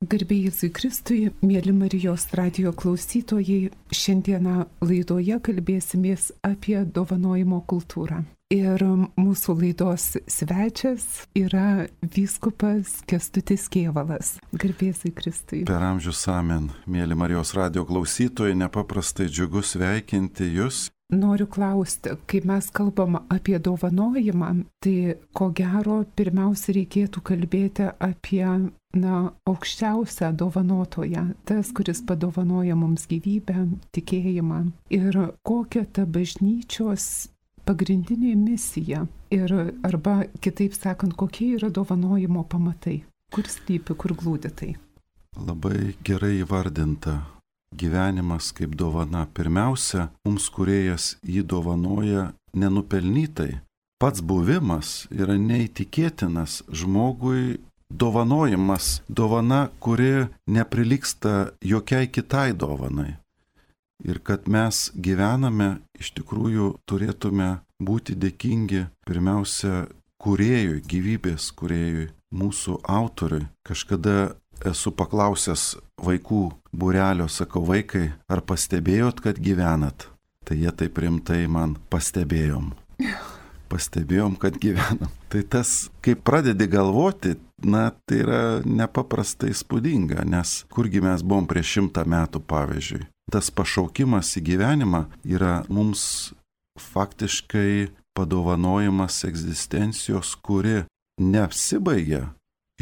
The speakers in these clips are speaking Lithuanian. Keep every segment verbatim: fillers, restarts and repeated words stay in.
Garbė Jėzui Kristui, mėly Marijos radijo klausytojai, šiandieną laidoje kalbėsimės apie dovanojimo kultūrą. Ir mūsų laidos svečias yra vyskupas Kęstutis Kėvalas. Garbė Jėzui Kristui. Per amžius amen, mėly Marijos radijo klausytojai, nepaprastai džiugu sveikinti jūs. Noriu klausti, kai mes kalbam apie dovanojimą, tai ko gero pirmiausia reikėtų kalbėti apie na, aukščiausią dovanotoją, tas, kuris padovanoja mums gyvybę, tikėjimą. Ir kokia ta bažnyčios pagrindinė misija ir arba kitaip sakant, kokie yra dovanojimo pamatai, kur slypi, kur glūdi tai. Labai gerai įvardinta. Gyvenimas kaip dovana. Pirmiausia, mums kūrėjas jį dovanoja nenupelnytai. Pats buvimas yra neįtikėtinas žmogui dovanojimas, dovana, kuri neprilygsta jokiai kitai dovanai. Ir kad mes gyvename, iš tikrųjų turėtume būti dėkingi pirmiausia kūrėjui, gyvybės kūrėjui, mūsų autoriui. Kažkada esu paklausęs vaikų būrelio, sakau, vaikai, ar pastebėjot, kad gyvenat? Tai jie taip rimtai man pastebėjom. Pastebėjom, kad gyvenam. Tai tas, kai pradedi galvoti, na, tai yra nepaprastai įspūdinga, nes kurgi mes buvom prieš šimtą metų, pavyzdžiui. Tas pašaukimas į gyvenimą yra mums faktiškai padovanojimas egzistencijos, kuri neapsibaigia.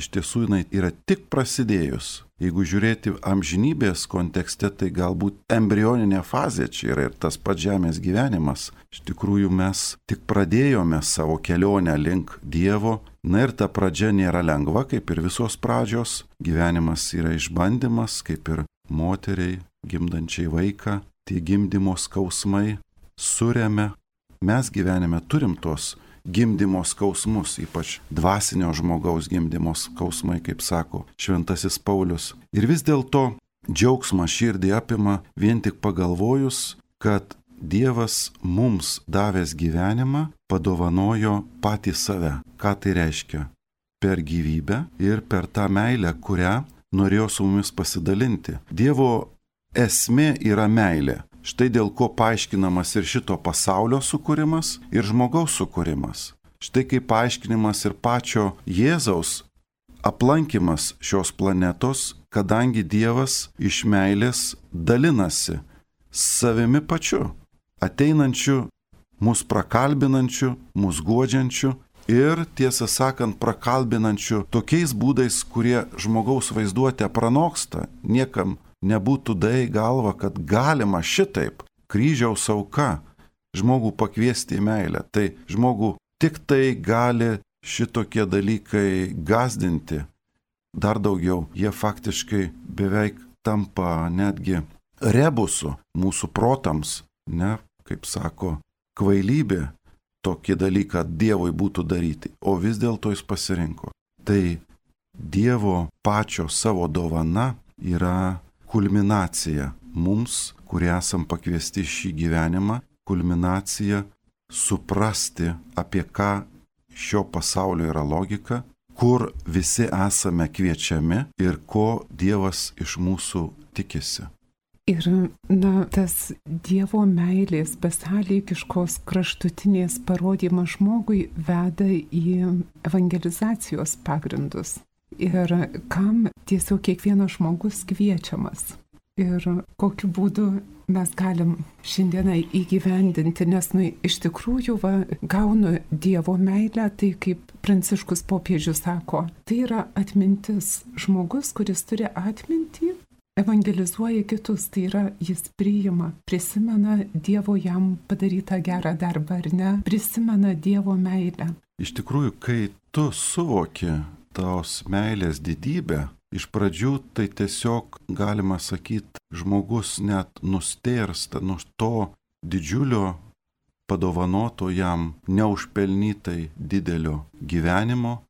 Iš tiesų jinai yra tik prasidėjus. Jeigu žiūrėti amžinybės kontekste, tai galbūt embrioninė fazė čia yra ir tas pats žemės gyvenimas. Iš tikrųjų mes tik pradėjome savo kelionę link Dievo. Na ir ta pradžia nėra lengva, kaip ir visos pradžios. Gyvenimas yra išbandymas, kaip ir moteriai, gimdančiai vaiką. Tie gimdymo skausmai suremia. Mes gyvenime turim tos gimdymo skausmus, ypač dvasinio žmogaus gimdymo skausmai, kaip sako šventasis Paulius. Ir vis dėlto džiaugsmą širdį apima vien tik pagalvojus, kad Dievas mums davęs gyvenimą padovanojo patį save. Ką tai reiškia? Per gyvybę ir per tą meilę, kurią norėjo su mumis pasidalinti. Dievo esmė yra meilė. Štai dėl ko paaiškinamas ir šito pasaulio sukūrimas, ir žmogaus sukūrimas. Štai kaip paaiškinimas ir pačio Jėzaus aplankimas šios planetos, kadangi Dievas iš meilės dalinasi savimi pačiu, ateinančiu, mus prakalbinančiu, mus guodžiančiu ir, tiesą sakant, prakalbinančiu tokiais būdais, kurie žmogaus vaizduotę pranoksta, niekam nebūtų dai galva, kad galima šitaip kryžiaus auka žmogų pakviesti į meilę. Tai žmogų tik tai gali šitokie dalykai gąsdinti. Dar daugiau, jie faktiškai beveik tampa netgi rebusu mūsų protams, ne, kaip sako, kvailybė tokį dalyką Dievui būtų daryti, o vis dėlto jis pasirinko. Tai Dievo pačio savo dovana yra kulminacija mums, kurie esam pakviesti šį gyvenimą, kulminacija suprasti, apie ką šio pasaulio yra logika, kur visi esame kviečiami ir ko Dievas iš mūsų tikisi. Ir, na, tas Dievo meilės besąlygiškos kraštutinės parodymas žmogui veda į evangelizacijos pagrindus. Ir kam tiesiog kiekvienas žmogus kviečiamas. Ir kokiu būdu mes galim šiandieną įgyvendinti, nes nu, iš tikrųjų va, gaunu Dievo meilę, tai kaip Pranciškus popiežius sako, tai yra atmintis. Žmogus, kuris turi atmintį, evangelizuoja kitus, tai yra jis priima, prisimena Dievo jam padarytą gerą darbą, ar ne, prisimena Dievo meilę. Iš tikrųjų, kai tu suvoki tos meilės didybę, iš pradžių tai tiesiog, galima sakyti, žmogus net nustėrsta nuo to didžiulio padovanoto jam neužpelnytai didelio gyvenimo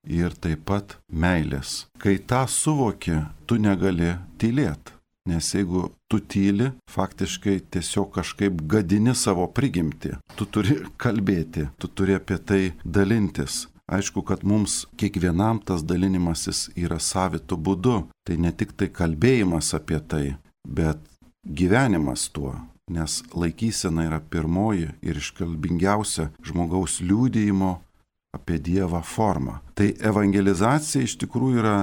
ir taip pat meilės. Kai tą suvoki, tu negali tylėti, nes jeigu tu tyli, faktiškai tiesiog kažkaip gadini savo prigimtį. Tu turi kalbėti, tu turi apie tai dalintis. Aišku, kad mums kiekvienam tas dalinimasis yra savitu būdu. Tai ne tik tai kalbėjimas apie tai, bet gyvenimas tuo. Nes laikysena yra pirmoji ir iškalbingiausia žmogaus liudijimo apie Dievą forma. Tai evangelizacija iš tikrųjų yra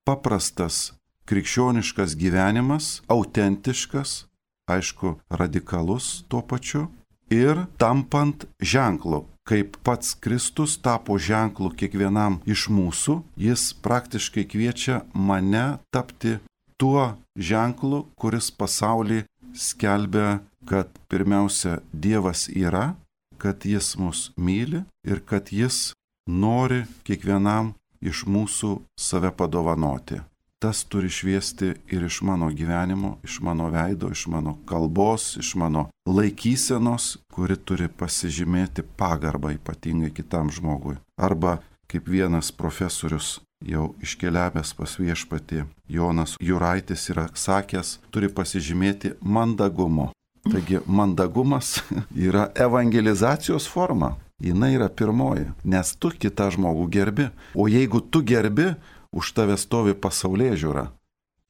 paprastas krikščioniškas gyvenimas, autentiškas, aišku, radikalus tuo pačiu ir tampant ženklu. Kaip pats Kristus tapo ženklu kiekvienam iš mūsų, jis praktiškai kviečia mane tapti tuo ženklu, kuris pasaulį skelbia, kad pirmiausia Dievas yra, kad jis mus myli ir kad jis nori kiekvienam iš mūsų save padovanoti. Tas turi šviesti ir iš mano gyvenimo, iš mano veido, iš mano kalbos, iš mano laikysenos, kuri turi pasižymėti pagarbą ypatingai kitam žmogui. Arba, kaip vienas profesorius jau iškeliavęs pas viešpatį, Jonas Juraitis yra sakęs, turi pasižymėti mandagumo. Taigi mandagumas yra evangelizacijos forma. Jinai yra pirmoji, nes tu kitą žmogų gerbi. O jeigu tu gerbi, už tave stovi pasaulėžiūra.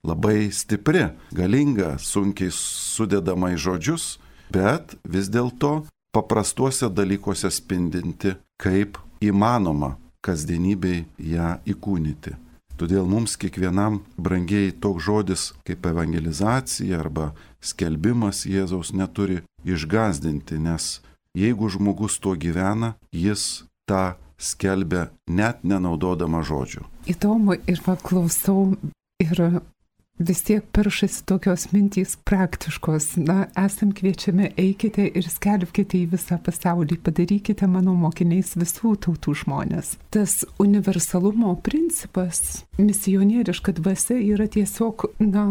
Labai stipri, galinga, sunkiai sudedama į žodžius, bet vis dėlto paprastuose dalykuose spindinti, kaip įmanoma kasdienybei ją įkūnyti. Todėl mums kiekvienam brangiai toks žodis kaip evangelizacija arba skelbimas Jėzaus neturi išgąsdinti, nes jeigu žmogus tuo gyvena, jis tą skelbia net nenaudodama žodžių. Įdomu ir paklausau ir vis tiek peršasi tokios mintys praktiškos. Na, esam kviečiami, eikite ir skelbkite į visą pasaulį, padarykite mano mokiniais visų tautų žmonės. Tas universalumo principas, misionieriška dvasia yra tiesiog, na,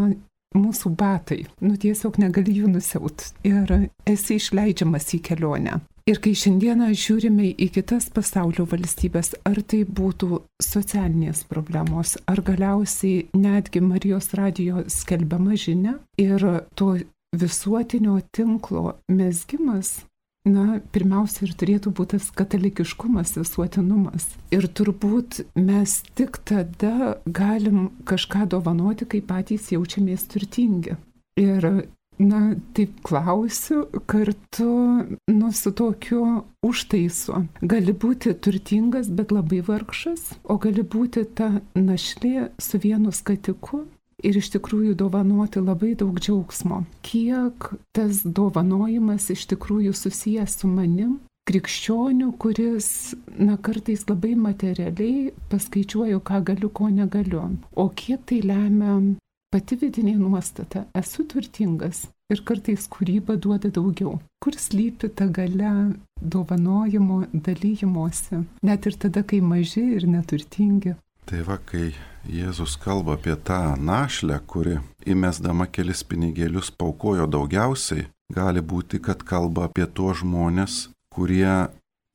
mūsų batai. Nu, tiesiog negali jų nusiaut ir esi išleidžiamas į kelionę. Ir kai šiandieną žiūrime į kitas pasaulio valstybės, ar tai būtų socialinės problemos, ar galiausiai netgi Marijos radijo skelbiama žinia ir to visuotinio tinklo mezgimas, na, pirmiausia ir turėtų būti tas katalikiškumas, visuotinumas. Ir turbūt mes tik tada galim kažką dovanoti, kai patys jaučiamės turtingi. Ir na, taip klausiu kartu, nu, su tokiu užtaisu. Gali būti turtingas, bet labai vargšas, o gali būti ta našlė su vienu skatiku ir iš tikrųjų dovanoti labai daug džiaugsmo. Kiek tas dovanojimas iš tikrųjų susijęs su manim, krikščioniu, kuris, na, kartais labai materialiai paskaičiuoju, ką galiu, ko negaliu. O kiek tai lemia pati vidinė nuostata, esu turtingas ir kartais kūryba duoda daugiau. Kur slypi ta galia dovanojimo, dalyjimuose, net ir tada, kai maži ir neturtingi. Tai va, kai Jėzus kalba apie tą našlę, kuri įmesdama kelis pinigėlius paukojo daugiausiai, gali būti, kad kalba apie tuos žmonės, kurie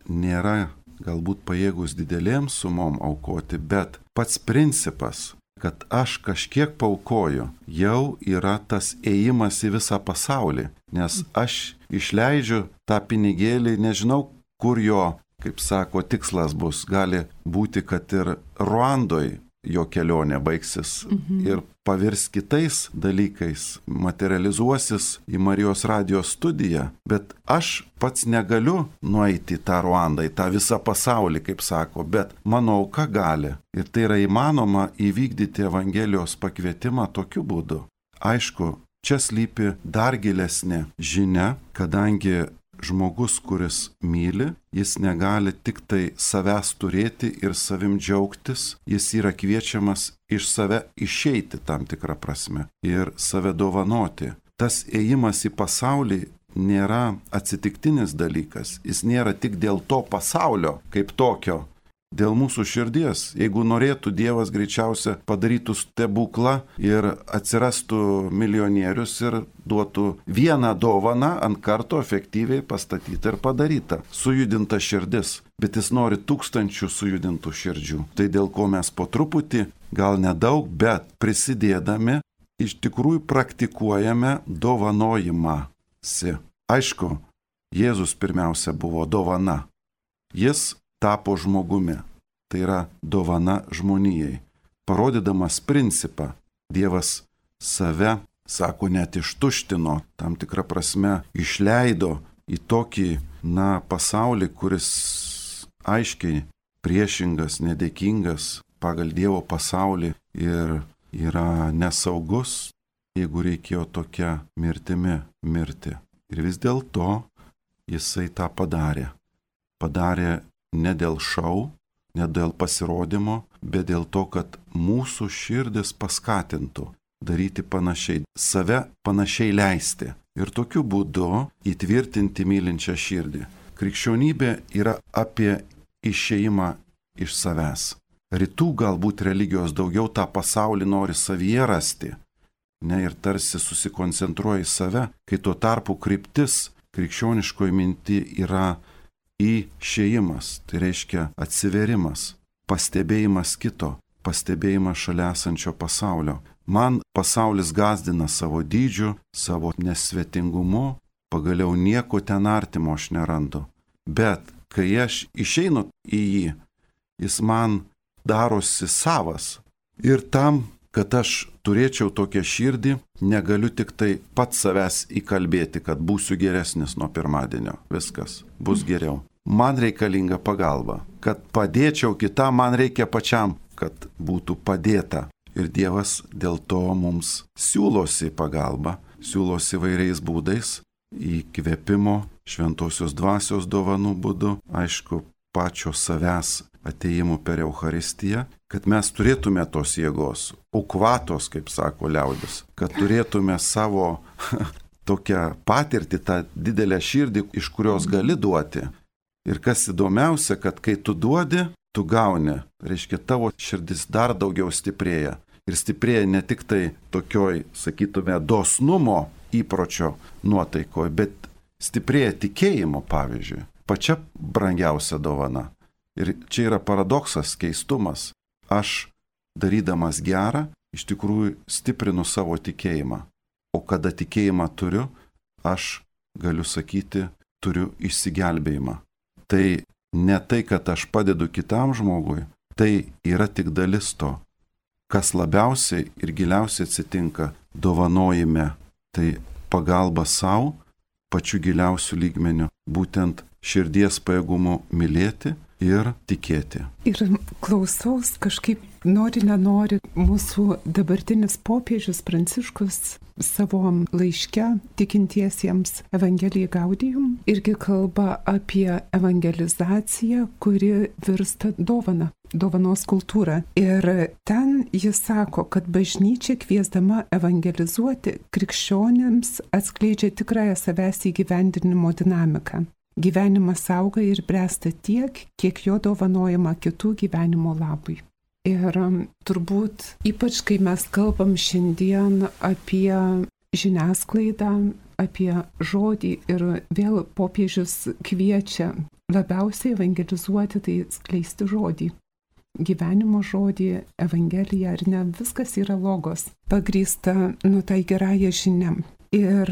nėra galbūt pajėgus didelėms sumom aukoti, bet pats principas, kad aš kažkiek paukoju, jau yra tas ėjimas į visą pasaulį, nes aš išleidžiu tą pinigėlį, nežinau, kur jo, kaip sako, tikslas bus. Gali būti, kad ir Ruandoj jo kelionė baigsis mhm. ir pavirs kitais dalykais, materializuosis į Marijos radijos studiją, bet aš pats negaliu nueiti į tą Ruandą, į tą visą pasaulį, kaip sako, bet mano auka gali. Ir tai yra įmanoma įvykdyti Evangelijos pakvietimą tokiu būdu. Aišku, čia slypi dar gilesnė žinia, kadangi žmogus, kuris myli, jis negali tik tai savęs turėti ir savim džiaugtis, jis yra kviečiamas iš save išeiti tam tikrą prasme ir save dovanoti. Tas ėjimas į pasaulį nėra atsitiktinis dalykas, jis nėra tik dėl to pasaulio kaip tokio, dėl mūsų širdies. Jeigu norėtų Dievas, greičiausia padarytų stebuklą ir atsirastų milijonierius ir duotų vieną dovaną ant karto efektyviai pastatytą ir padarytą. Sujudinta širdis, bet jis nori tūkstančių sujudintų širdžių. Tai dėl ko mes po truputį, gal nedaug, bet prisidėdami, iš tikrųjų praktikuojame dovanojimąsi. Aišku, Jėzus pirmiausia buvo dovana. Jis tapo žmogumi. tai yra dovana žmonijai. Parodydamas principą, Dievas save, sako, net ištuštino, tam tikrą prasme išleido į tokį, na, pasaulį, kuris aiškiai priešingas, nedėkingas pagal Dievo pasaulį ir yra nesaugus, jeigu reikėjo tokia mirtimi mirti. Ir vis dėlto jisai tą padarė. Padarė ne dėl šou, ne dėl pasirodymo, bet dėl to, kad mūsų širdis paskatintų daryti panašiai, save panašiai leisti ir tokiu būdu įtvirtinti mylinčią širdį. Krikščionybė yra apie išėjimą iš savęs. Rytų galbūt religijos daugiau tą pasaulį nori savyje rasti, ne, ir tarsi susikoncentruoja į save, kai tuo tarpu kryptis krikščioniškoji minti yra išėjimas, tai reiškia atsiverimas, pastebėjimas kito, pastebėjimas šalia esančio pasaulio. Man pasaulis gąsdina savo dydžiu, savo nesvetingumu, pagaliau nieko ten artimo aš nerandu. Bet kai aš išeinu į jį, jis man darosi savas. Ir tam, kad aš turėčiau tokią širdį, negaliu tik tai pats savęs įkalbėti, kad būsiu geresnis nuo pirmadienio. Viskas bus geriau. Man reikalinga pagalba. Kad padėčiau kitam, man reikia pačiam, kad būtų padėta. Ir Dievas dėl to mums siūlosi pagalbą, siūlosi vairiais būdais, įkvėpimo, šventosios dvasios dovanų būdu, aišku, pačio savęs atėjimu per Eucharistiją, kad mes turėtume tos jėgos, ukvatos, kaip sako liaudis, kad turėtume savo tokią patirtį, tą didelę širdį, iš kurios gali duoti. Ir kas įdomiausia, kad kai tu duodi, tu gauni, reiškia, tavo širdis dar daugiau stiprėja. Ir stiprėja ne tik tai tokioj, sakytume, dosnumo įpročio nuotaikoje, bet stiprėja tikėjimo, pavyzdžiui, pačia brangiausia dovana. Ir čia yra paradoksas, keistumas. Aš, darydamas gerą, iš tikrųjų stiprinu savo tikėjimą. O kada tikėjimą turiu, aš galiu sakyti, turiu išsigelbėjimą. Tai ne tai, kad aš padedu kitam žmogui, tai yra tik dalis to. Kas labiausiai ir giliausiai atsitinka dovanojime, tai pagalba savo, pačiu giliausiu lygmeniu, būtent širdies pajėgumu mylėti ir tikėti. Ir klausaus kažkaip nori, nenori, mūsų dabartinis popiežius Pranciškus savo laiške tikintiesiems Evangelijai Gaudium irgi kalba apie evangelizaciją, kuri virsta dovana, dovanos kultūra. Ir ten jis sako, kad bažnyčia kviesdama evangelizuoti krikščionėms atskleidžia tikrąją savęs įgyvendinimo dinamiką. Gyvenimas auga ir bręsta tiek, kiek jo dovanojama kitų gyvenimo labui. Ir turbūt, ypač kai mes kalbam šiandien apie žiniasklaidą, apie žodį ir vėl popiežius kviečia labiausiai evangelizuoti, tai skleisti žodį. Gyvenimo žodį, evangeliją ar ne, viskas yra logos, pagrįsta nu tai gerąją žinią. Ir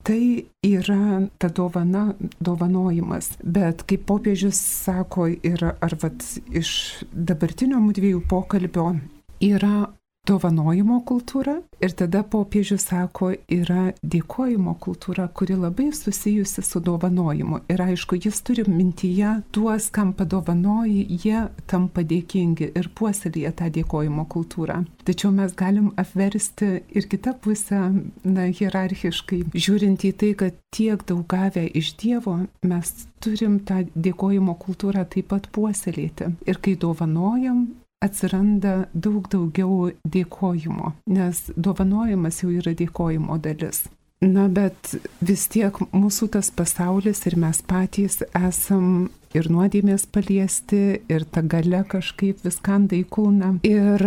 tai yra ta dovana, dovanojimas. Bet kaip popiežius sako, ir ar vat iš dabartinio mudviejų pokalbio yra dovanojimo kultūra ir tada popiežius sako, yra dėkojimo kultūra, kuri labai susijusi su dovanojimu. Ir aišku, jis turi mintyje tuos, kam padovanoji, jie tampa dėkingi ir puoselėja tą dėkojimo kultūrą. Tačiau mes galim apversti ir kitą pusę, na, hierarchiškai, žiūrint į tai, kad tiek daug gavę iš Dievo, mes turim tą dėkojimo kultūrą taip pat puoselėti. Ir kai dovanojam, atsiranda daug daugiau dėkojimo, nes dovanojimas jau yra dėkojimo dalis. Na, bet vis tiek mūsų tas pasaulis ir mes patys esam ir nuodėmės paliesti, ir ta galia kažkaip viskanda į kūną. Ir,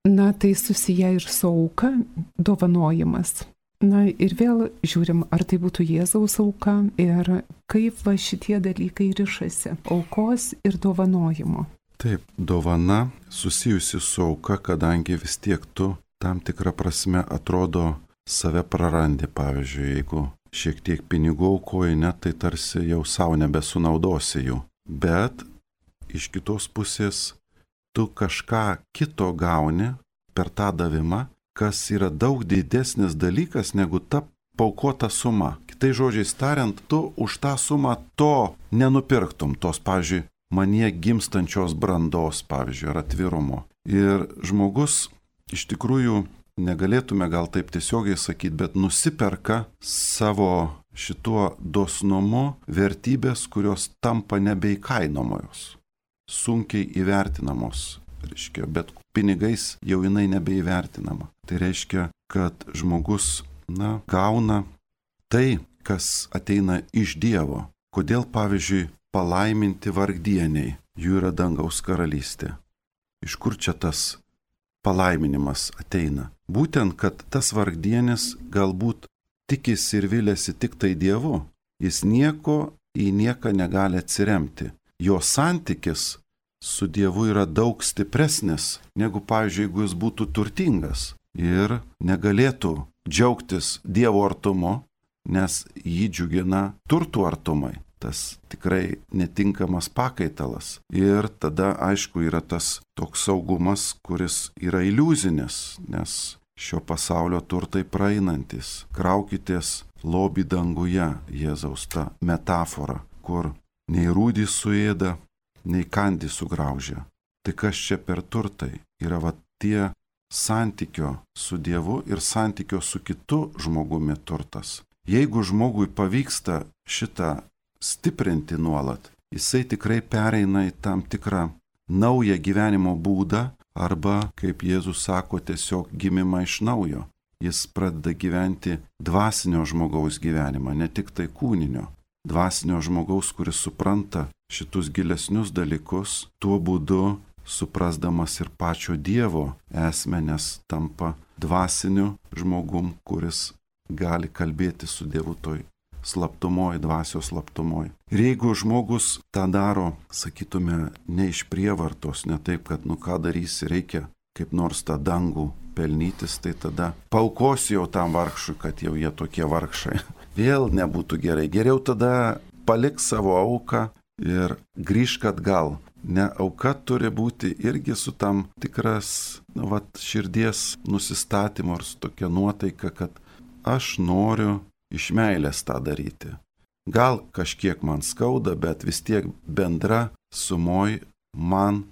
na, tai susiję ir su auka, dovanojimas. Na, ir vėl žiūrim, ar tai būtų Jėzaus auka ir kaip va šitie dalykai rišasi, aukos ir dovanojimo. Taip, dovana susijusi su auka, kadangi vis tiek tu tam tikrą prasme atrodo save prarandi. Pavyzdžiui, jeigu šiek tiek pinigų aukoji, net tai tarsi jau savo nebesunaudosi jų. Bet iš kitos pusės tu kažką kito gauni per tą davimą, kas yra daug didesnis dalykas negu ta paukota suma. Kitai žodžiais tariant, tu už tą sumą to nenupirktum, tos, pavyzdžiui, manie gimstančios brandos, pavyzdžiui, ar atvirumo. Ir žmogus iš tikrųjų, negalėtume gal taip tiesiogiai sakyti, bet nusiperka savo šituo dosnumu vertybės, kurios tampa nebeįkainomos, sunkiai įvertinamos, reiškia, bet pinigais jau jinai nebeįvertinama. Tai reiškia, kad žmogus, na, gauna tai, kas ateina iš Dievo. Kodėl, pavyzdžiui, palaiminti vargdieniai, jų yra dangaus karalystė. Iš kur čia tas palaiminimas ateina? Būtent, kad tas vargdienis galbūt tikisi ir vilėsi tik tai Dievu, jis nieko į nieką negali atsiremti. Jo santykis su Dievu yra daug stipresnis, negu, pavyzdžiui, jeigu jis būtų turtingas ir negalėtų džiaugtis Dievo artumu, nes jį džiugina turtų artumai. Tas tikrai netinkamas pakaitalas. Ir tada, aišku, yra tas toks saugumas, kuris yra iliuzinis, nes šio pasaulio turtai praeinantis. Kraukitės lobį danguje, Jėzaus ta metafora, kur nei rūdį suėda, nei kandį sugraužia. Tai kas čia per turtai? Yra va tie santykio su Dievu ir santykio su kitu žmogumi turtas. Jeigu žmogui pavyksta šitą stiprinti nuolat, jisai tikrai pereina į tam tikrą naują gyvenimo būdą arba, kaip Jėzus sako, tiesiog gimimą iš naujo. Jis pradeda gyventi dvasinio žmogaus gyvenimą, ne tik tai kūninio. Dvasinio žmogaus, kuris supranta šitus gilesnius dalykus, tuo būdu suprasdamas ir pačio Dievo esmę, nes tampa dvasiniu žmogum, kuris gali kalbėti su Dievu toj slaptumoj, dvasios slaptumoj. Ir jeigu žmogus tą daro, sakytume, ne iš prievartos, ne taip, kad nu ką darysi, reikia kaip nors tą dangų pelnytis, tai tada paukosiu jau tam vargšui, kad jau jie tokie vargšai. Vėl nebūtų gerai. Geriau tada palik savo auką ir grįžk atgal. Ne, auka turi būti irgi su tam tikras, nu, vat, širdies nusistatymu ir su tokia nuotaika, kad aš noriu iš meilės tą daryti. Gal kažkiek man skauda, bet vis tiek bendra sumoj man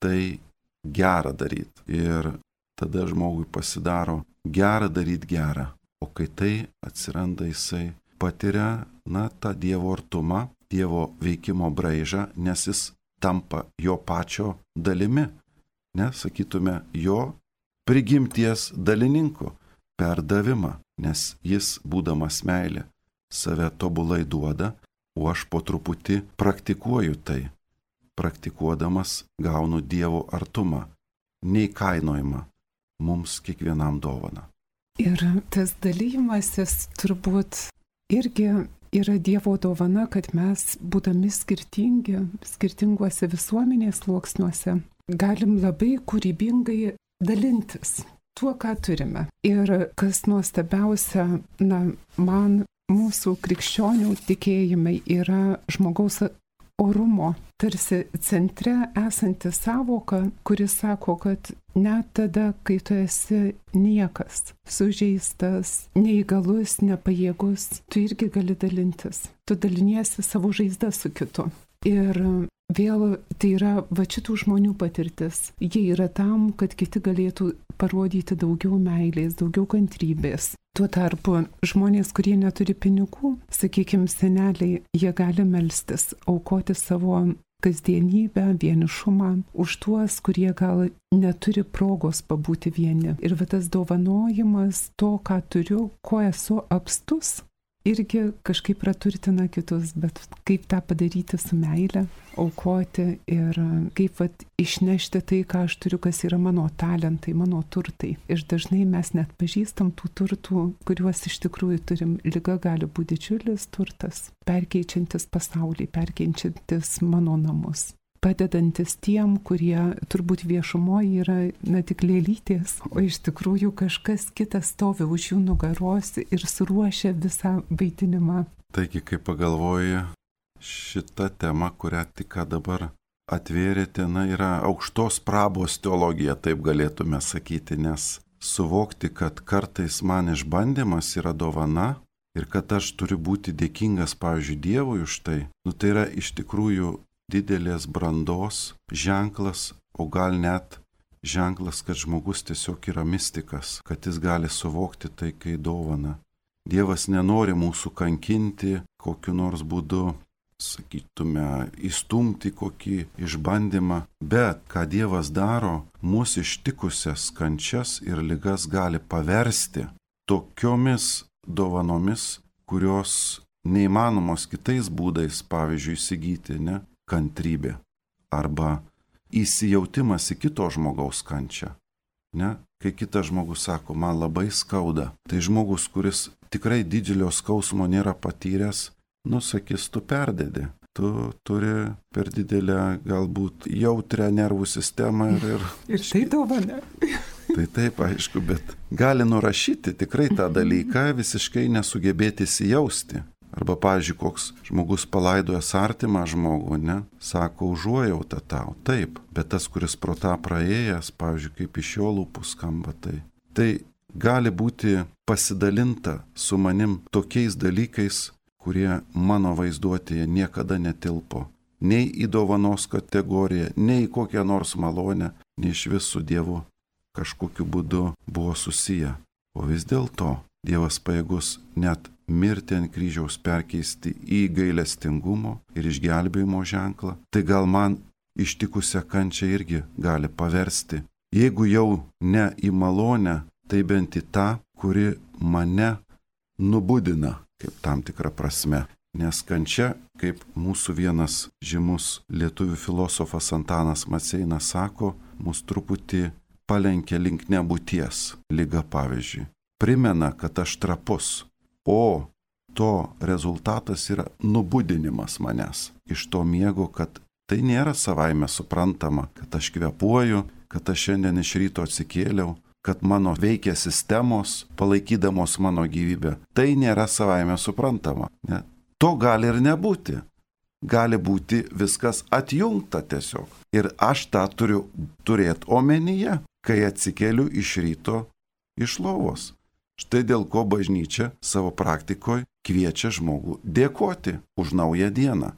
tai gera daryti. Ir tada žmogui pasidaro gera daryti gerą. O kai tai atsiranda, jisai patiria, na, tą Dievo artumą, Dievo veikimo braižą, nes jis tampa jo pačio dalimi. Ne, sakytume, jo prigimties dalininku per davimą. Nes jis, būdamas meilė, save tobulai duoda, o aš po truputį praktikuoju tai. Praktikuodamas gaunu Dievo artumą, neįkainojimą, mums kiekvienam dovana. Ir tas dalymasis turbūt irgi yra Dievo dovana, kad mes, būdami skirtingi, skirtinguose visuomenės sluoksniuose, galim labai kūrybingai dalintis tuo, ką turime. Ir kas nuostabiausia, na, man mūsų krikščionių tikėjimai yra žmogaus orumo, tarsi centre esanti sąvoka, kuris sako, kad net tada, kai tu esi niekas, sužeistas, neįgalus, nepajėgus, tu irgi gali dalintis. Tu daliniesi savo žaizdą su kitu. Ir vėl tai yra va šitų žmonių patirtis. Jie yra tam, kad kiti galėtų parodyti daugiau meilės, daugiau kantrybės. Tuo tarpu žmonės, kurie neturi pinigų, sakykime, seneliai, jie gali melstis, aukoti savo kasdienybę, vienišumą už tuos, kurie gal neturi progos pabūti vieni. Ir va tas dovanojimas to, ką turiu, ko esu apstus, irgi kažkaip praturtina kitus, bet kaip tą padaryti su meile, aukoti ir kaip vat, išnešti tai, ką aš turiu, kas yra mano talentai, mano turtai. Ir dažnai mes net pažįstam tų turtų, kuriuos iš tikrųjų turim. Liga gali būti didžiulis turtas, perkeičiantis pasaulį, perkeičiantis mano namus. Padedantis tiem, kurie turbūt viešumoje yra na tik lėlytės, o iš tikrųjų kažkas kitas stovi už jų nugaros ir suruošia visą vaidinimą. Taigi, kai pagalvoji, šita tema, kurią tik dabar atvėrėte, na, yra aukštos prabos teologija, taip galėtume sakyti, nes suvokti, kad kartais man išbandymas yra dovana ir kad aš turiu būti dėkingas, pavyzdžiui, Dievui už tai, nu tai yra iš tikrųjų didelės brandos ženklas, o gal net ženklas, kad žmogus tiesiog yra mistikas, kad jis gali suvokti tai, kai dovana. Dievas nenori mūsų kankinti kokiu nors būdu, sakytume, įstumti kokį išbandymą, bet ką Dievas daro, mūsų ištikusias kančias ir ligas gali paversti tokiomis dovanomis, kurios neįmanomos kitais būdais, pavyzdžiui, įsigyti, ne, kantrybė arba įsijautimas į kito žmogaus kančią, ne, kai kitas žmogus sako, man labai skauda, tai žmogus, kuris tikrai didelio skausmo nėra patyręs, nusakys, tu perdedi, tu turi per didelę galbūt jautrią nervų sistemą ir... Ir, ir tai dovana. Tai taip, aišku, bet gali nurašyti tikrai tą dalyką, visiškai nesugebėti įsijausti. Arba, pavyzdžiui, koks žmogus palaidojęs artimą žmogų, ne, sako, užuojautą tau, taip, bet tas, kuris pro tą praėjęs, pavyzdžiui, kaip iš jo lūpų skamba, tai, tai gali būti pasidalinta su manim tokiais dalykais, kurie mano vaizduotėje niekada netilpo, nei į dovanos kategoriją, nei į kokią nors malonę, nei iš vis su Dievu kažkokiu būdu buvo susiję. O vis dėlto Dievas pajėgus net mirtį ant kryžiaus perkeisti į gailestingumo ir išgelbėjimo ženklą, tai gal man ištikusią kančią irgi gali paversti. Jeigu jau ne į malonę, tai bent į tą, kuri mane nubudina, kaip tam tikra prasme. Nes kančia, kaip mūsų vienas žymus lietuvių filosofas Antanas Maceinas sako, mus truputį palenkia link nebūties, liga pavyzdžiui. Primena, kad aš trapus, o to rezultatas yra nubudinimas manęs iš to miego, kad tai nėra savaime suprantama, kad aš kvepuoju, kad aš šiandien iš ryto atsikėliau, kad mano veikia sistemos, palaikydamos mano gyvybę. Tai nėra savaime suprantama. Ne? To gali ir nebūti. Gali būti viskas atjungta tiesiog. Ir aš tą turiu turėti omenyje, kai atsikėliu iš ryto iš lovos. Štai dėl ko bažnyčia savo praktikoje kviečia žmogų dėkoti už naują dieną.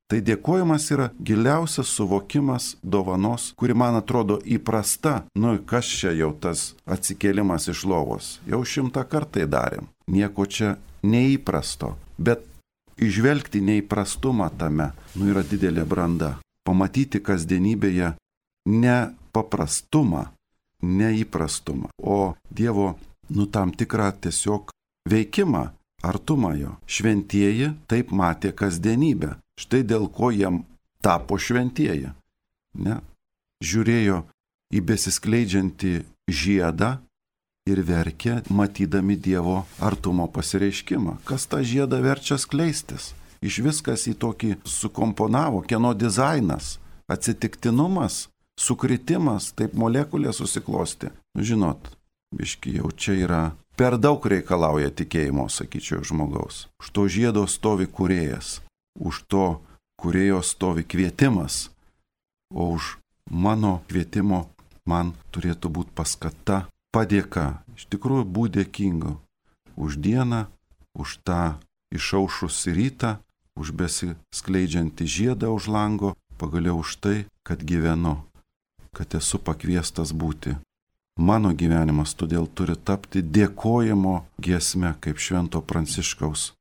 Tai dėkojimas yra giliausias suvokimas dovanos, kuri man atrodo įprasta. Nu, kas čia jau tas atsikėlimas iš lovos? Jau šimtą kartai darėm. Nieko čia neįprasto. Bet įžvelgti neįprastumą tame, nu, yra didelė branda. Pamatyti kasdienybėje ne paprastumą, neįprastumą, o Dievo, nu, tam tikrą tiesiog veikimą, artumą jo. Šventieji taip matė kasdienybę. Štai dėl ko jam tapo šventieji. Ne? Žiūrėjo į besiskleidžiantį žiedą ir verkė, matydami Dievo artumo pasireiškimą. Kas tą žiedą verčia skleistis? Iš viskas į tokį sukomponavo, kieno dizainas, atsitiktinumas, sukritimas, taip molekulė susiklosti. Nu, žinot, biški jau čia yra per daug reikalauja tikėjimo, sakyčiau, žmogaus. Už to žiedo stovi kūrėjas, už to kūrėjo stovi kvietimas, o už mano kvietimo man turėtų būti paskata, padėka. Iš tikrųjų, būti dėkinga už dieną, už tą išaušusį rytą, už besiskleidžiantį žiedą už lango, pagaliau už tai, kad gyvenu, kad esu pakviestas būti. Mano gyvenimas todėl turi tapti dėkojimo giesme, kaip Švento Pranciškaus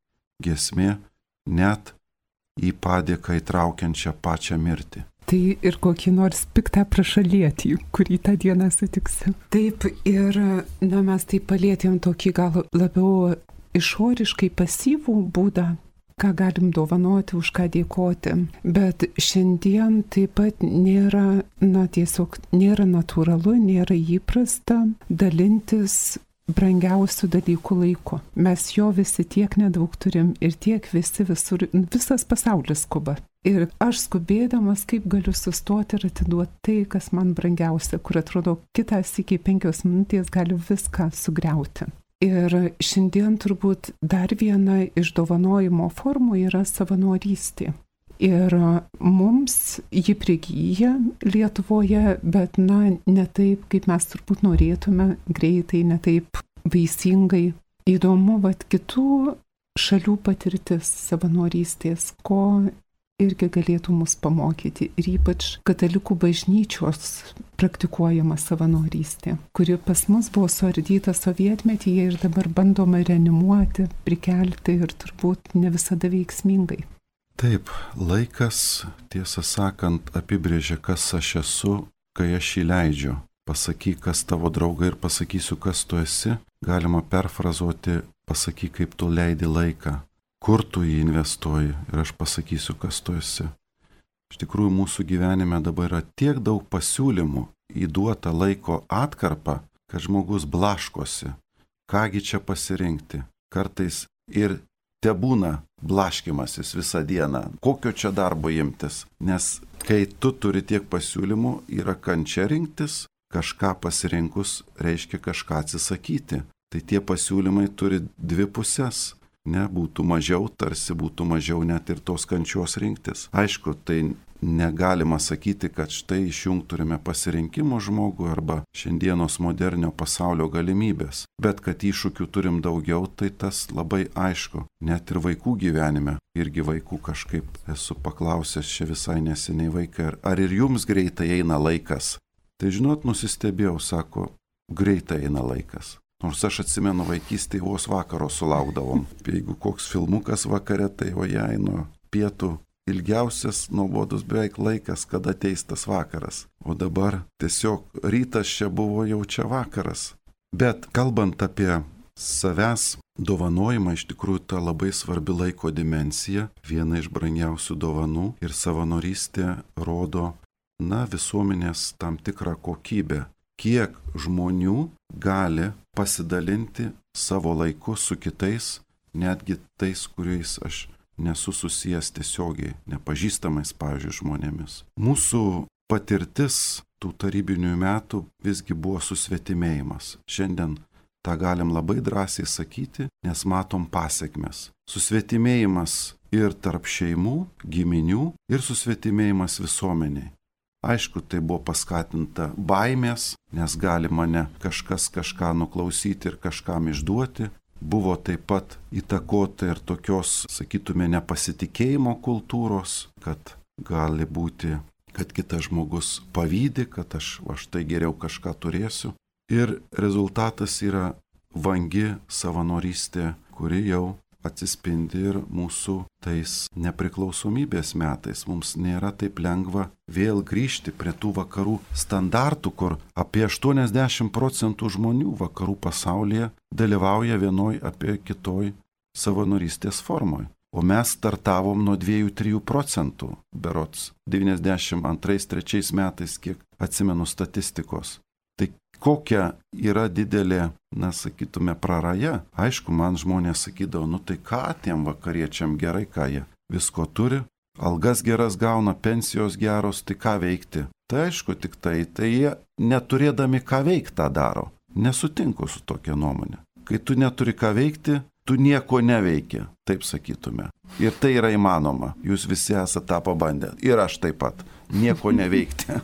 giesmė, net į padėką įtraukiančią pačią mirtį. Tai ir kokį nors piktą prašalietį, kurį tą dieną sutiksi. Taip, ir na, mes taip palėtėm tokį gal labiau išoriškai pasyvų būdą, ką galim dovanoti, už ką dėkoti. Bet šiandien taip pat nėra, na tiesiog nėra natūralu, nėra įprasta dalintis brangiausių dalykų laiku. Mes jo visi tiek nedaug turim ir tiek visi visur, visas pasaulis skuba. Ir aš skubėdamas, kaip galiu sustoti ir atiduoti tai, kas man brangiausia, kur atrodo kitas iki penkios minutės gali viską sugriauti. Ir šiandien turbūt dar viena iš dovanojimo formų yra savanorystė. Ir mums ji prigyja Lietuvoje, bet na, ne taip, kaip mes turbūt norėtume, greitai, ne taip vaisingai. Įdomu, vat kitų šalių patirtis savanorystės, ko irgi galėtų mus pamokyti. Ir ypač katalikų bažnyčios praktikuojama savanorystė, kuri pas mus buvo suardyta sovietmetyje ir dabar bandoma reanimuoti, prikelti ir turbūt ne visada veiksmingai. Taip, laikas, tiesą sakant, apibrėžia, kas aš esu, kai aš jį leidžiu. Pasakyk, kas tavo draugai ir pasakysiu, kas tu esi. Galima perfrazuoti, pasakyk, kaip tu leidi laiką, kur tu jį investuoji ir aš pasakysiu, kas tu esi. Iš tikrųjų, mūsų gyvenime dabar yra tiek daug pasiūlymų įduota laiko atkarpą, kad žmogus blaškosi. Kągi čia pasirinkti? Kartais ir tebūna blaškimasis visą dieną. Kokio čia darbo imtis? Nes kai tu turi tiek pasiūlymų, yra kančia rinktis, kažką pasirinkus reiškia kažką atsisakyti. Tai tie pasiūlymai turi dvi pusės. Ne, būtų mažiau, tarsi būtų mažiau net ir tos kančios rinktis. Aišku, tai negalima sakyti, kad štai išjungturime pasirinkimo žmogų arba šiandienos modernio pasaulio galimybės. Bet kad iššūkių turim daugiau, tai tas labai aišku. Net ir vaikų gyvenime. Irgi vaikų kažkaip esu paklausęs čia visai neseniai vaikai, ar, ar ir jums greitai eina laikas? Tai žinot, nusistebėjau, sako, greitai eina laikas. Nors aš atsimenu vaikystėje vos vakaro sulaukdavom. Jeigu koks filmukas vakare, tai o jai nuo pietų ilgiausias, nuobodus beveik laikas, kada ateis tas vakaras. O dabar tiesiog rytas čia buvo, jau čia vakaras. Bet kalbant apie savęs dovanojimą, iš tikrųjų ta labai svarbi laiko dimensija, viena iš brangiausių dovanų ir savanorystė rodo, na, visuomenės tam tikrą kokybę. Kiek žmonių gali pasidalinti savo laiku su kitais, netgi tais, kuriais aš nesu susijęs tiesiogiai, nepažįstamais, pavyzdžiui, žmonėmis. Mūsų patirtis tų tarybinių metų visgi buvo susvetimėjimas. Šiandien tą galim labai drąsiai sakyti, nes matom pasekmes. Susvetimėjimas ir tarp šeimų, giminių ir susvetimėjimas visuomeniai. Aišku, tai buvo paskatinta baimės, nes gali mane kažkas kažką nuklausyti ir kažkam išduoti. Buvo taip pat įtakota ir tokios, sakytume, nepasitikėjimo kultūros, kad gali būti, kad kitas žmogus pavydi, kad aš, aš tai geriau kažką turėsiu. Ir rezultatas yra vangi savanorystė, kuri jau atsispindi ir mūsų tais nepriklausomybės metais. Mums nėra taip lengva vėl grįžti prie tų vakarų standartų, kur apie aštuoniasdešimt procentų žmonių vakarų pasaulyje dalyvauja vienoj apie kitoj savanorystės formoj. O mes startavom nuo dviejų trijų procentų, berods devyniasdešimt antrais trečiais metais, kiek atsimenu statistikos. Tai kokia yra didelė, na, sakytume, praraja. Aišku, man žmonės sakydavo, nu tai ką tiem vakariečiam gerai, ką jie visko turi, algas geras gauna, pensijos geros, tai ką veikti? Tai aišku, tik tai, tai jie neturėdami ką veikti tą daro. Nesutinku su tokia nuomonė. Kai tu neturi ką veikti, tu nieko neveiki, taip sakytume. Ir tai yra įmanoma. Jūs visi esate tą pabandę. Ir aš taip pat. Nieko neveikti.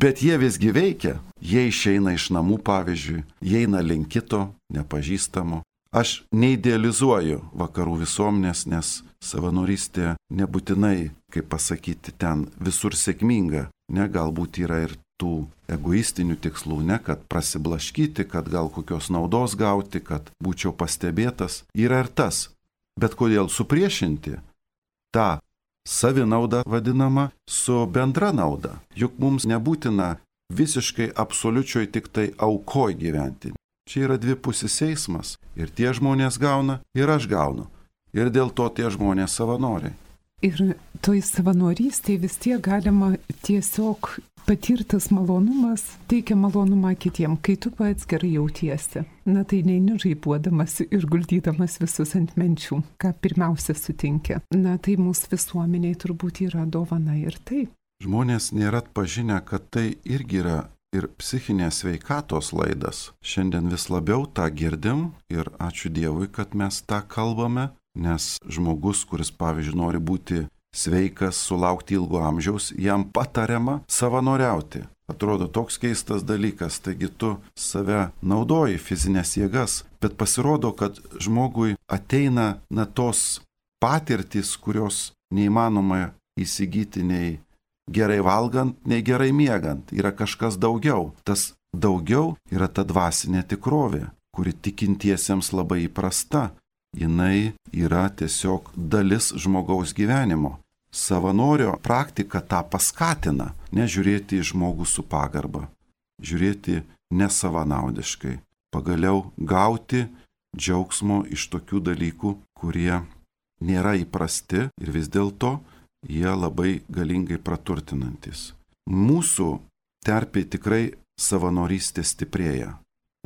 Bet jie visgi veikia. Jie išeina iš namų, pavyzdžiui, jie eina link kito, nepažįstamo. Aš neidealizuoju vakarų visuomenės, nes savanorystė nebūtinai, kaip pasakyti, ten visur sėkminga. Ne, galbūt yra ir tų egoistinių tikslų, ne, kad prasiblaškyti, kad gal kokios naudos gauti, kad būčiau pastebėtas. Yra ir tas. Bet kodėl supriešinti tą savinaudą vadinama su bendra nauda? Juk mums nebūtina visiškai absoliučioj tik tai aukoj gyventi. Čia yra dvipusis eismas. Ir tie žmonės gauna, ir aš gaunu. Ir dėl to tie žmonės savanoriai. Ir toj savanorystėje vis tiek galima tiesiog patirtas malonumas teikia malonumą kitiem, kai tu pats gerai jautiesi. Na tai neini žaibuodamas ir guldydamas visus ant menčių, ką pirmiausia sutinkia. Na tai mūsų visuomeniai turbūt yra dovana ir tai. Žmonės nėra atpažinę, kad tai irgi yra ir psichinės sveikatos laidas. Šiandien vis labiau tą girdim ir ačiū Dievui, kad mes tą kalbame, nes žmogus, kuris, pavyzdžiui, nori būti sveikas, sulaukti ilgo amžiaus, jam patariama savanoriauti. Atrodo toks keistas dalykas, taigi tu save naudoji fizinės jėgas, bet pasirodo, kad žmogui ateina na tos patirtys, kurios neįmanoma įsigyti nei gerai valgant, nei gerai miegant. Yra kažkas daugiau. Tas daugiau yra ta dvasinė tikrovė, kuri tikintiesiems labai įprasta. Jinai yra tiesiog dalis žmogaus gyvenimo. Savanorio praktika tą paskatina, nežiūrėti į žmogų su pagarba, žiūrėti nesavanaudiškai, pagaliau gauti džiaugsmo iš tokių dalykų, kurie nėra įprasti ir vis dėlto jie labai galingai praturtinantis. Mūsų terpė tikrai savanorystė stiprėja.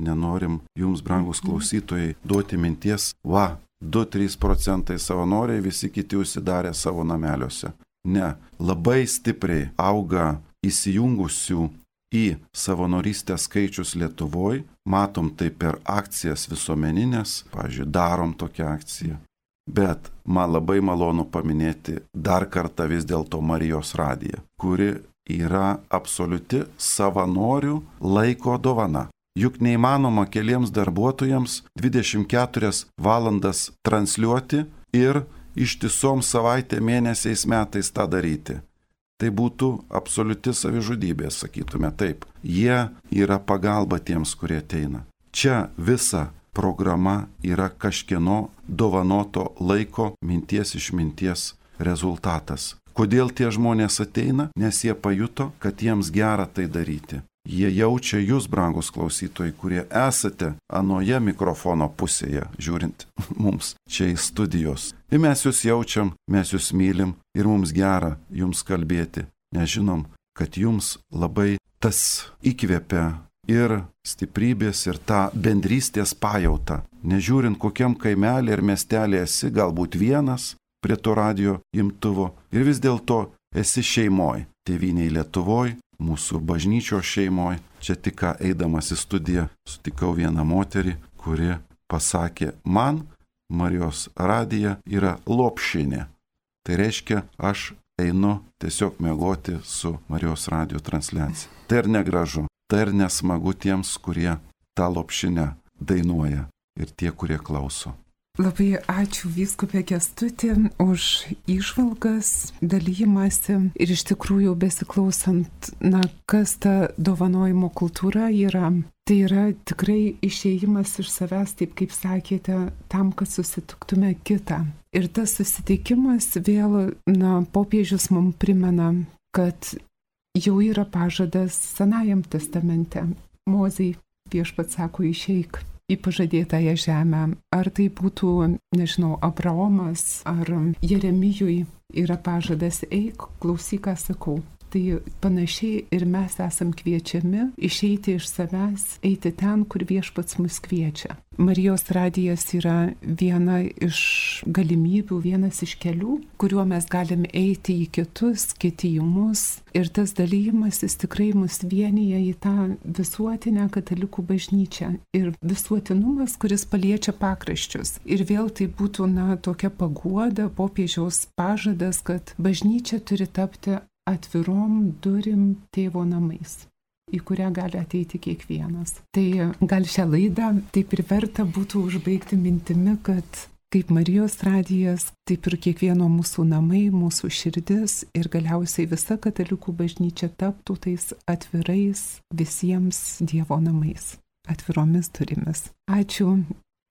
Nenorim jums, brangus klausytojai, duoti minties, va, du trys procentai savanoriai, visi kiti užsidarė savo nameliuose. Ne, labai stipriai auga įsijungusių į savanorystę skaičius Lietuvoje, matom tai per akcijas visuomeninės, pavyzdžiui, darom tokią akciją. Bet man labai malonu paminėti dar kartą vis dėlto Marijos radiją, kuri yra absoliuti savanorių laiko dovana. Juk neįmanoma keliems darbuotojams dvidešimt keturias valandas transliuoti ir ištisom savaitę, mėnesiais, metais tą daryti. Tai būtų absoliuti savižudybė, sakytume taip. Jie yra pagalba tiems, kurie ateina. Čia visa programa yra kažkieno dovanoto laiko, minties, išminties rezultatas. Kodėl tie žmonės ateina? Nes jie pajuto, kad jiems gera tai daryti. Jie jaučia jūs, brangus klausytojai, kurie esate anoje mikrofono pusėje, žiūrint mums čia į studijos. Ir mes jūs jaučiam, mes jūs mylim ir mums gera jums kalbėti. Nežinom, kad jums labai tas įkvepia ir stiprybės, ir tą bendrystės pajautą. Nežiūrint, kokiam kaimelį ir miestelį esi, galbūt vienas prie to radijo imtuvo, ir vis dėlto esi šeimoj, tėvynėj Lietuvoj, mūsų bažnyčios šeimoje. Čia tik ką eidamas į studiją sutikau vieną moterį, kuri pasakė, man Marijos radija yra lopšinė. Tai reiškia, aš einu tiesiog miegoti su Marijos radijo transliacija. Tai ir negražu, tai ir nesmagu tiems, kurie tą lopšinę dainuoja ir tie, kurie klauso. Labai ačiū vyskupė Kęstutį už įžvalgas, dalyjimąsi ir iš tikrųjų besiklausant, na, kas ta dovanojimo kultūra yra. Tai yra tikrai išėjimas iš savęs, taip kaip sakėte, tam, kad susitiktume kitą. Ir tas susitikimas vėl, na, popiežius mums primena, kad jau yra pažadas Senajam testamente. Mozei viešpats sako, išeik į pažadėtąją žemę. Ar tai būtų, nežinau, Abraomas ar Jeremijui yra pažadas, eik, klausyk, ką sakau. Tai panašiai ir mes esam kviečiami išeiti iš savęs, eiti ten, kur viešpats mus kviečia. Marijos radijas yra viena iš galimybių, vienas iš kelių, kuriuo mes galim eiti į kitus, kiti į mus. Ir tas dalymasis tikrai mus vienyje į tą visuotinę katalikų bažnyčią. Ir visuotinumas, kuris paliečia pakraščius. Ir vėl tai būtų, na, tokia paguoda, popiežiaus pažadas, kad bažnyčia turi tapti atvirom durim tėvo namais, į kurią gali ateiti kiekvienas. Tai gal šią laidą taip ir verta būtų užbaigti mintimi, kad kaip Marijos radijas, taip ir kiekvieno mūsų namai, mūsų širdis ir galiausiai visa katalikų bažnyčia taptų tais atvirais visiems Dievo namais, atviromis durimis. Ačiū,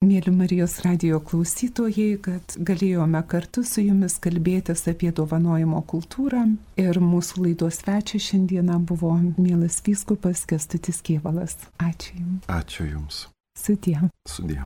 mėly Marijos radijo klausytojai, kad galėjome kartu su jumis kalbėtis apie dovanojimo kultūrą. Ir mūsų laidos svečias šiandieną buvo mielas vyskupas Kęstutis Kėvalas. Ačiū Jums. Ačiū Jums. Sudie. Sudie.